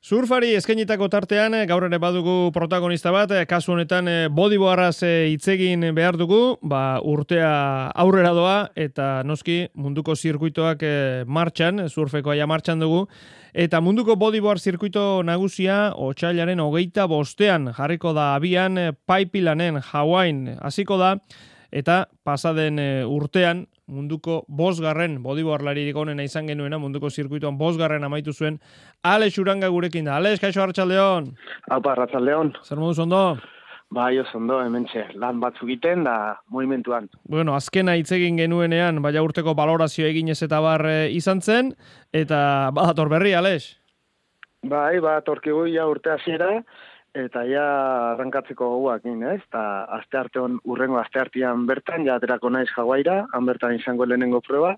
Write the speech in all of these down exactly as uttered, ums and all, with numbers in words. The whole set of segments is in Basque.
Surfari eskainitako tartean gaur ere badugu protagonista bat, kasu honetan bodyboardaz hitz egin behar dugu, ba urtea aurrera doa eta noski munduko zirkuitoak martxan, surfeko aia martxan dugu, eta munduko bodyboard zirkuito nagusia otsailaren hogeita bostean jarriko da abian Paipilanen Hawaiin hasiko da, eta pasaden urtean munduko bosgarren bodyboardlaririk onena izan genuena, munduko zirkuitoan bosgarren amaitu zuen Alex Uranga gurekin da. Alex, kaixo arratsaldeon. Aupa, arratsaldeon. Zer moduz ondo? Bai, oso ondo, hementxe, lan batzuk egiten da movimentuan. Bueno, azkena hitz egin genuenean, baina urteko balorazio eginez eta bar izan zen, eta badator berri, Alex? Bai, badatorkigu ja urte hasiera, eta ja arrankatzeko goguakin, ez? Eta aste arte on, urrengo aste artean bertan, ja aterako naiz Hawaiira, han bertan izango lehenengo proba,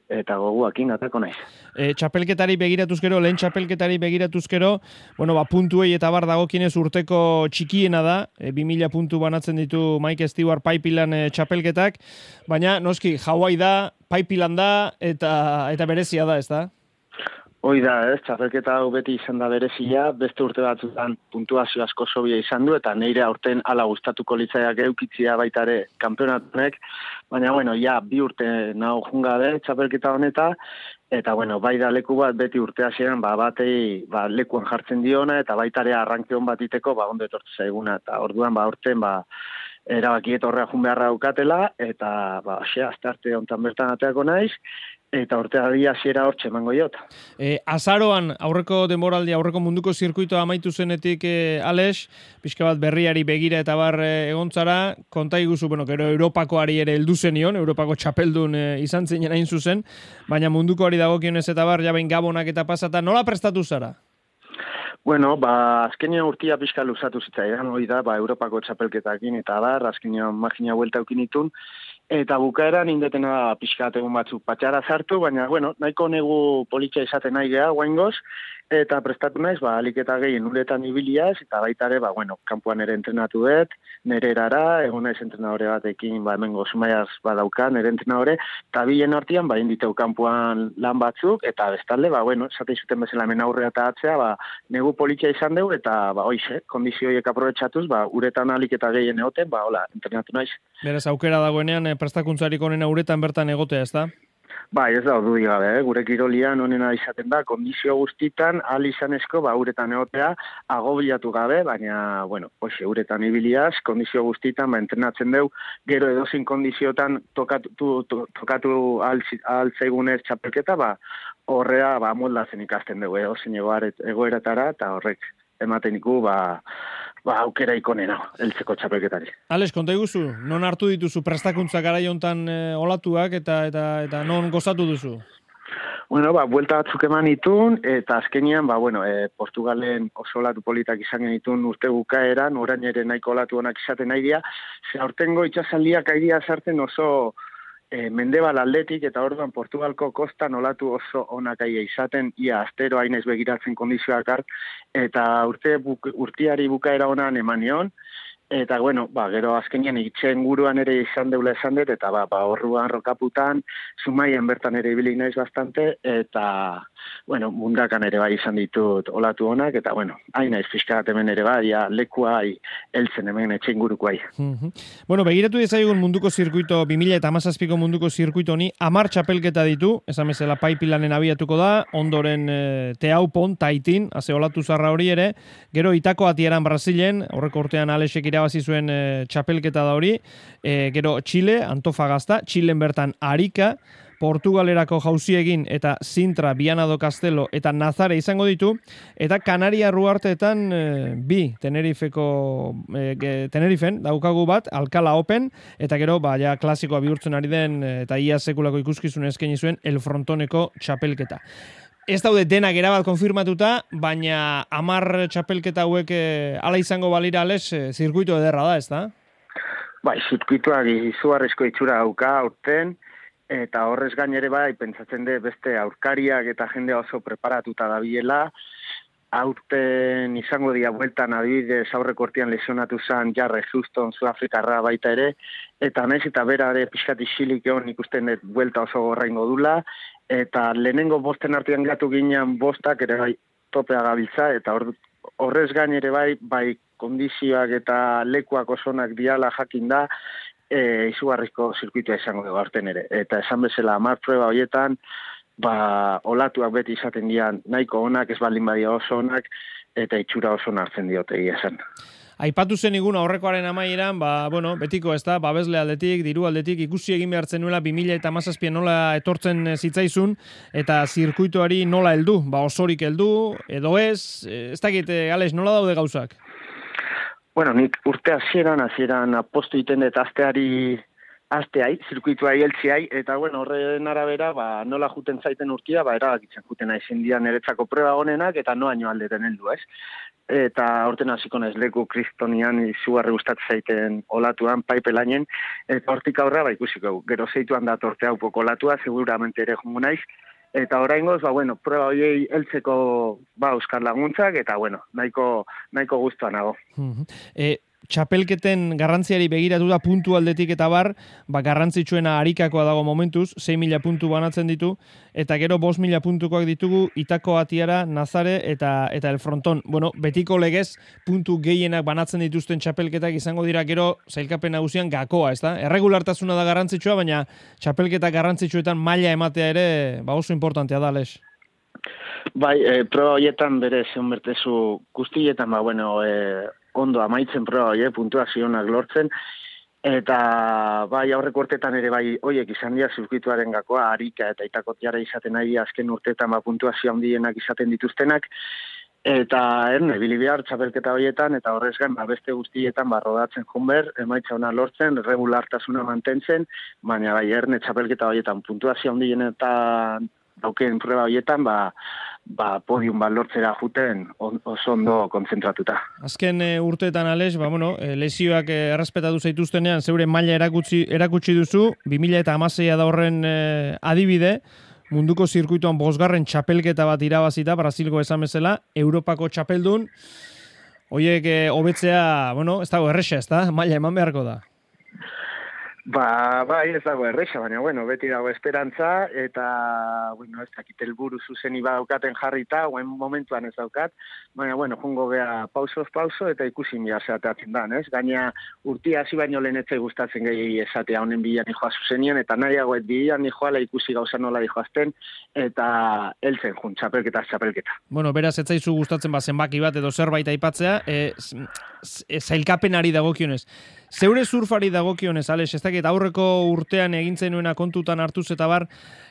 eta goguakin aterako naiz. E, txapelketari begiratuzkero, lehen txapelketari begiratuzkero, bueno, ba, puntuei eta bar dagokinez urteko txikiena da, e, bi mila puntu banatzen ditu Mike Stewart Paipilan e, txapelketak, baina noski, Hawaii da, Paipilan da, eta, eta berezia da, ez da? Hoi da, ez, txapelketa hau beti izan da berezia, beste urte batzutan puntuazio asko sobia izan du, eta neire aurten ala gustatuko litzaiak eukitzia baita ere kanpeonatunek, baina, bueno, ja, bi urte naho junga de txapelketa honeta, eta, bueno, bai da leku bat beti urte hasieran ba, batei ba, lekuan jartzen diona, eta baita ere arranke hon bat iteko, ba, ondo etortu zaiguna, eta orduan, ba, urten, ba, erabakiet horrea jun beharra daukatela, eta, ba, xe, azte arte hontan bertan ateako naiz, eta urteari hasiera hortxe emango jot. E, azaroan, aurreko denboraldi, aurreko munduko zirkuitoa amaitu zenetik, e, Alex, pixka bat berriari begira eta bar e, egontzara, konta iguzu, bueno, gero Europakoari ere heldu zenion, Europako txapeldun e, izan zinen hain zuzen, baina mundukoari dagokionez eta bar, jabein gabonak eta pasata, nola prestatu zara? Bueno, ba, azkenean urtia pixka luzatu zitzaidan, hori da, ba, Europako txapelketakin eta bar, azkenean magina buelta eukinitun, eta bukaeran indetena pixka egun batzuk patxara zartu, baina, bueno, nahiko negu politxa izaten nahi geha, guaingoz, eta prestatu naiz, ba, aliketa gehien uretan ibiliaz, eta baita ere, ba, bueno, kanpoan ere entrenatu dut, nere erara, egon naiz entrenadore batekin, ba, hemen gozumaiaz badauka, nere entrenadore, eta bilen artian, ba, inditeu kanpoan lan batzuk, eta bestalde, ba, bueno, esate izuten bezala hemen aurrea eta atzea, ba, negu politxa izan dugu, eta, ba, hoize, kondizioiek aprobetxatuz, ba, uretan aliketa gehien egoten, ba, hola, entrenatu naiz. Beraz, aukera dagoenean, prestakuntzarik onena uretan bertan egotea, ez da? Bai, ez da, ordu digabe, eh? Gure kirolian onena izaten da, kondizio guztitan, ahal izanezko, ba, uretan egotea, agobiatu gabe, baina, bueno, hoxe, uretan ibiliaz, kondizio guztitan, ba, entrenatzen deu, gero edozin kondiziotan tokatu, to, tokatu ahal zaigunez txapelketa, ba, horrea, ba, moldazen ikasten dugu, edozin egoeratara, eta horrek ematen iku, ba, ba, aukera ikonena, heltzeko txapelketari. Alex, konta iguzu, non hartu dituzu prestakuntza garai hontan e, olatuak eta, eta, eta non gozatu duzu? Bueno, ba, buelta batzuk eman itun, eta azkenian, ba, bueno, e, Portugalen oso olatu politak izan genitun urte bukaeran, orain ere nahiko olatu honak izaten nahi dira, ze aurtengo itxasaldiak aidia sartzen oso E, mendebal aldetik, eta orduan Portugalko kostan olatu oso onak aia izaten, ia astero hainez begiratzen kondizioak hart, eta urte buk, urtiari bukaera honan emanion, eta, bueno, ba, gero azkenean itxen guruan ere izan deula esan dut, eta, ba, ba orruan rokaputan, Zumaien bertan ere ibilik naiz bastante, eta, bueno, mundakan ere bai izan ditut olatu honak, eta, bueno, hain naiz fiskat hemen ere bai, ja, lekua hai, eltzen hemen etxe inguruko hai. Mm-hmm. Bueno, begiratu dezagun munduko zirkuito, bi mila hamazazpiko munduko zirkuito honi, hamar txapelketa ditu, esan bezala Paipilanen abiatuko da, ondoren e, Teaupon, Taitin, haze olatu zarra hori ere, gero Itako atieran Brasilen, horreko urtean Alexek irabazi zuen e, txapelketa da hori, e, gero Chile, Antofagasta, Chilen bertan Arica, Portugalerako Jauziegin eta Sintra, Viana do Castelo eta Nazare izango ditu, eta Kanaria Ruarteetan e, bi Tenerifeko e, Tenerifen daukagu bat, Alcala Open, eta gero ba, ja, klasikoa bihurtzen ari den eta ia sekulako ikuskizun eskaini zuen El Frontoneko txapelketa. Ez daude denak erabat konfirmatuta, baina hamar txapelketa hauek e, ala izango balira, Alex, e, zirkuito ederra da, ez da? Bai, zirkuitoak izugarrizko itxura dauka aurten, eta horrez gain ere bai, pentsatzen de beste aurkariak eta jende oso preparatuta dabilela, aurten izango dia bueltan adibidez aurreko urtean lesionatu zen Jarre Houston, Sudafrikarra baita ere, eta naiz eta bera ere pixkat isilik egon ikusten dut buelta oso gorraingo dula, eta lehenengo bosten artean gatu ginean bostak ere bai topea gabiltza, eta hor, horrez gain ere bai, bai kondizioak eta lekuak osonak diala jakin da, e, izugarrizko zirkuitua izango dugu aurten ere. Eta esan bezala, hamar proba horietan, ba, olatuak beti izaten dian nahiko onak, ez baldin badia oso onak, eta itxura oso hartzen diote egia esan. Aipatu zen igun aurrekoaren amaieran, ba, bueno, betiko ez da, babesle aldetik, diru aldetik, ikusi egin behartzen nuela bi mila hamazazpian nola etortzen zitzaizun, eta zirkuituari nola heldu, ba osorik heldu, edo ez, ez dakit, Alex, nola daude gauzak? Bueno, nik urte hasieran, hasieran apostu iten eta asteari, asteai, zirkuituai heltziai, eta bueno, horren arabera, ba, nola juten zaiten urtia, ba, erabakitzen juten aizen dian niretzako proba honenak, eta noaino aldeten heldu, ez? Eta horten hasiko naiz leku kristonian izugarri gustatzen zaiten olatuan, paipelainen, eta hortik aurra ba ikusiko, gero zeituan datorte hau poko olatua, seguramente ere jongo naiz, eta oraingoz, ba, bueno, proba horiei heltzeko ba, euskal laguntzak, eta bueno, nahiko, nahiko guztuan nago. E, txapelketen garrantziari begiratu da puntu aldetik eta bar, ba, garrantzitsuena arikakoa dago momentuz, sei mila puntu banatzen ditu, eta gero bost mila puntukoak ditugu Itako Atiara, Nazare eta eta El Fronton. Bueno, betiko legez puntu gehienak banatzen dituzten txapelketak izango dira gero sailkapen nagusian gakoa, ezta? Erregulartasuna da garrantzitsua, baina txapelketa garrantzitsuetan maila ematea ere ba oso importantea da, Alex. Bai, e, proba horietan bere zeon bertezu guztietan, ba, bueno, e, ondo amaitzen proba horiek, puntuazionak lortzen, eta bai aurreko urtetan ere bai hoiek izan dira zirkuituaren gakoa, Arika eta Itakotiara izaten ari azken urteetan ba, puntuazio handienak izaten dituztenak, eta erne, ibili behar txapelketa horietan, eta horrez gain ba, beste guztietan ba, rodatzen jonber, emaitza ona lortzen, regulartasuna mantentzen, baina bai erne txapelketa horietan puntuazio handienetan dauken prueba horietan, ba, ba, podium bat lortzera juten oso ondo konzentratuta. Azken e, urteetan, Alex, ba, bueno, e, lesioak e, errespetatu zaituztenean, zeure maila erakutsi, erakutsi duzu, bi mila hamaseia da horren e, adibide, munduko zirkuituan bosgarren txapelketa bat irabazita, Brasilgo esan bezala, Europako txapeldun, hoiek e, hobetzea, bueno, ez dago erresa, ez da, maila eman beharko da. Ba, bai, ez dago erresa, baina, bueno, beti dago esperantza, eta, bueno, ez dakit helburu zuzeni badaukaten jarrita, guen momentuan ez daukat, baina, bueno, jongo gea pausoz pauso, eta ikusin bia zeateatzen da, ez? Gaina urtia hasi baino lehen etzai gustatzen gehi esatea honen bilan nijoa zuzenian, eta nahiagoet bilan nijoala ikusi gauza nola dijoazten, eta heltzen jun, txapelketa, txapelketa. Bueno, beraz, etzaizu gustatzen ba zenbaki bat edo zerbait aipatzea, e, zailkapenari dagokionez. Zeure surfari dagokionez, Alex, ez dakit aurreko urtean egintzen nuena kontutan hartuz eta bar,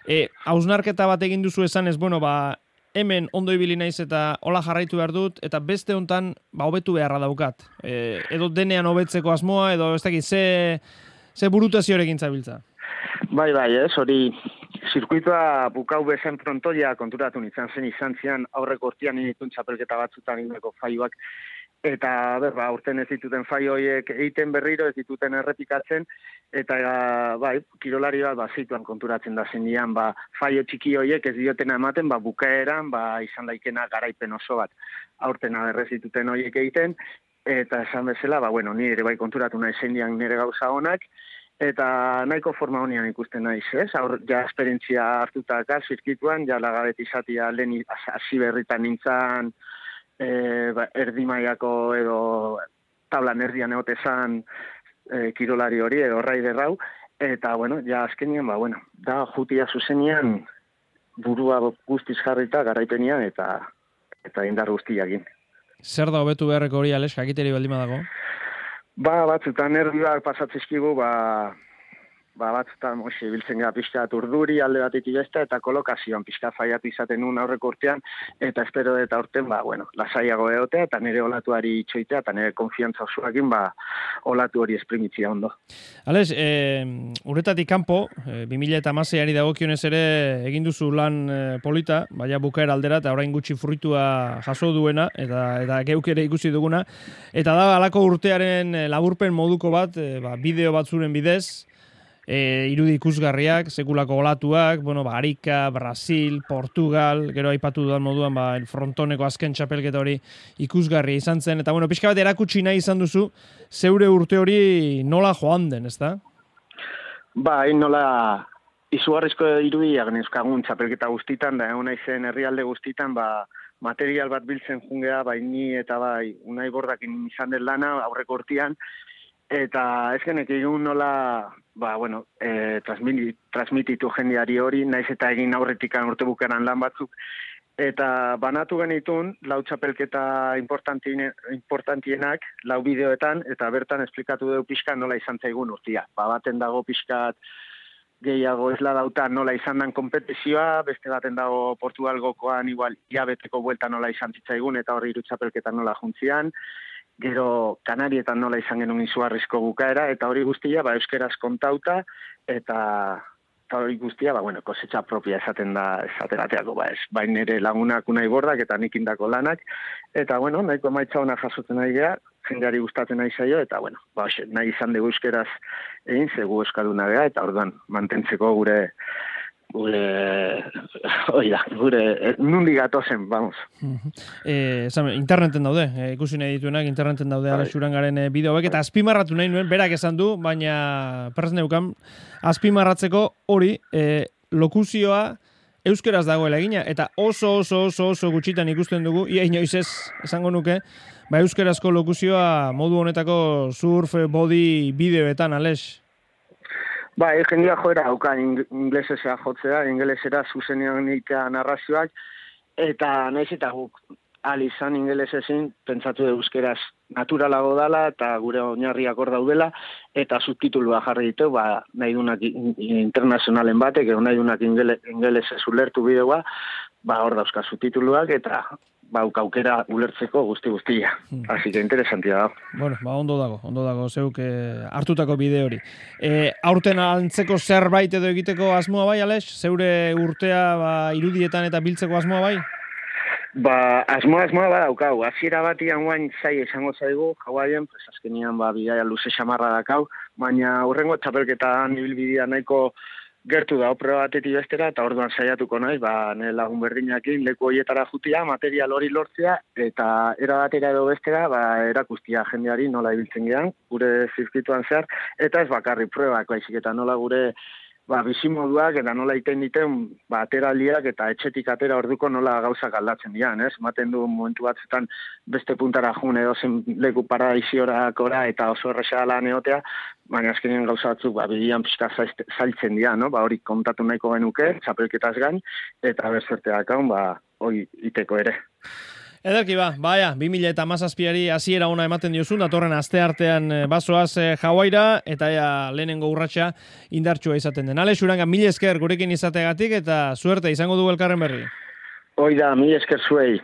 e, hausnarketa bat egin duzu esan ez, bueno, ba, hemen ondo ibili naiz eta hola jarraitu behar dut, eta beste hontan ba, hobetu beharra daukat. E, edo denean hobetzeko asmoa, edo ez dakit, ze, ze burutazio egin zabiltza? Bai, bai, ez, hori zirkuitoa bukau bezen frontoia konturatu nintzen zen izan zian aurreko urtean initun txapelketa batzutan indeko faioak, eta berba, urten ez dituten faio horiek egiten berriro, ez dituten errepikatzen, eta bai, kirolari bat ba, zituan konturatzen da zendian, ba, faio txiki horiek ez diotena ematen, ba, bukaeran, ba, izan daikena garaipen oso bat, aurten aberrez dituten horiek egiten, eta esan bezala, ba, bueno, ni ere bai konturatu nahi zendian nire gauza honak, eta nahiko forma honian ikusten naiz, ez? Aur, ja esperientzia hartutaka zirkituan, ja lagabet izatia lehen hasi berritan nintzen, e, ba, erdi mailako edo tablan erdian egotezan e, kirolari hori edo raider hau, eta, bueno, ja azkenian, ba, bueno, da jutia zuzenian burua guztiz jarrita garaipenian eta eta indar guztiakin. Zer da hobetu beharreko hori, Alex, jakiteri baldin badago? Ba, batzutan nervioak pasatzizkigu, ba, ba batzutan moxe biltzen gara pixka urduri alde batetik beste, eta kolokazioan pixka faiatu izaten nun aurreko urtean, eta espero eta urten, ba, bueno, lasaiago egotea, eta nire olatuari itxoitea, eta nire konfiantza osoakin, ba, olatu hori esprimitzia ondo. Alex, e, urretatik kanpo, e, bi mila hamaseiari dagokionez ere egin duzu lan e, polita, baina bukaera aldera, eta orain gutxi fruitua jaso duena, eta, eta geuk ere ikusi duguna, eta da halako urtearen laburpen moduko bat, e, ba, bideo batzuren bidez, E, irudi ikusgarriak, sekulako olatuak, bueno, ba, Arika, Brasil, Portugal, gero aipatu dudan moduan, ba, El Frontoneko azken txapelketa hori ikusgarria izan zen, eta bueno, pixka bat erakutsi nahi izan duzu, zeure urte hori nola joan den, ezta? Bai, nola izugarrizko irudiak neuzkagun txapelketa guztitan, da egon naizen herrialde guztitan, ba, material bat biltzen jungea, bai ni eta bai Unai Bordakin izan den lana aurreko urtean, eta ez genek egun nola, ba, bueno, e, transmit, transmititu jendeari hori, naiz eta egin aurretikan urte bukaran lan batzuk, eta banatu genitun, lau txapelketa importantienak, lau bideoetan, eta bertan esplikatu dugu pixka nola izan zaigun urtia. Ba, baten dago pixkat gehiago esla dauta nola izan dan kompetizioa, beste baten dago Portugalgokoan igual iabeteko buelta nola izan zitzaigun, eta hori hiru txapelketa nola juntzian, gero Kanarietan nola izan genuen izugarrizko bukaera, eta hori guztia, ba, euskeraz kontauta, eta, eta hori guztia, ba, bueno, kosetxa propia esaten da, esaterateako, ba, ez, bain ere lagunak Unai Bordak, eta nik indako lanak, eta, bueno, nahiko emaitza hona jasotzen nahi geha, jendeari gustatzen nahi zaio, eta, bueno, ba, oxe, nahi izan dugu euskeraz egin, zegu euskalduna geha, eta orduan, mantentzeko gure, gure, oida, gure, nundi gatozen, vamos. Eh, zame, interneten daude, eh, ikusi nahi dituenak, interneten daude Alex Urangaren eh, bideoek, eta azpimarratu nahi nuen, berak esan du, baina presneukan, azpimarratzeko hori, eh, lokuzioa euskeraz dagoela egina, eta oso, oso, oso, oso gutxitan ikusten dugu, ia inoiz ez, esango nuke, ba euskerazko lokuzioa modu honetako surf, body, bideoetan, Alex? Ba, jendia joera hauka inglesesea jotzea, ingelesera zuzenean itea narrazioak, eta naiz eta guk alizan ingelesezin pentsatu euskeraz naturalago dala, eta gure oinarriak hor daudela, eta subtitulua jarri ditu, ba, nahi dunak internazionalen batek, edo nahi dunak ingelesez ulertu bideoa, ba, hor dauzka subtituluak, eta ba, aukera ulertzeko guzti-guztia. Hmm. Así que interesantia da. Bueno, ba, ondo dago, ondo dago, zeuk eh, hartutako bide hori. Eh, aurten antzeko zerbait edo egiteko asmoa bai, Alex? Zeure urtea ba, irudietan eta biltzeko asmoa bai? Ba, asmoa, asmoa ba daukau. Hasiera batian guain zai esango zaigu, Hawaiian, pues azkenian ba, bidaia luze xamarra dakau, baina hurrengo txapelketan ibilbidea nahiko gertu da, opera batetik bestera, eta orduan saiatuko naiz, ba, nire lagun berdinakin leku horietara jutia, material hori lortzea, eta era batera edo bestera, ba, erakustia jendeari nola ibiltzen gehan, gure zirkituan zehar, eta ez bakarri pruebak, baizik, eta nola gure ba, bizimoduak, eta nola iten diten, ba, ateraldiak, eta etxetik atera orduko nola gauzak aldatzen dian, ez? Maten du momentu batzetan beste puntara jun edo zen leku paradiziorakora, eta oso erresa lan egotea, baina azkenean gauza batzuk, ba, bidian pixka zailtzen dira, no? Ba, hori kontatu nahiko genuke, txapelketaz gain, eta berzerteak hau, ba, hori iteko ere. Ederki ba, baia, bi mila eta hamazazpiari hasiera ona ematen diozun, datorren aste artean bazoaz eh, Hawaiira, eta ea lehenengo urratsa indartsua izaten den. Alex Uranga, mil esker gurekin izategatik, eta suerte izango du elkarren berri. Hoi da, mil esker zuei.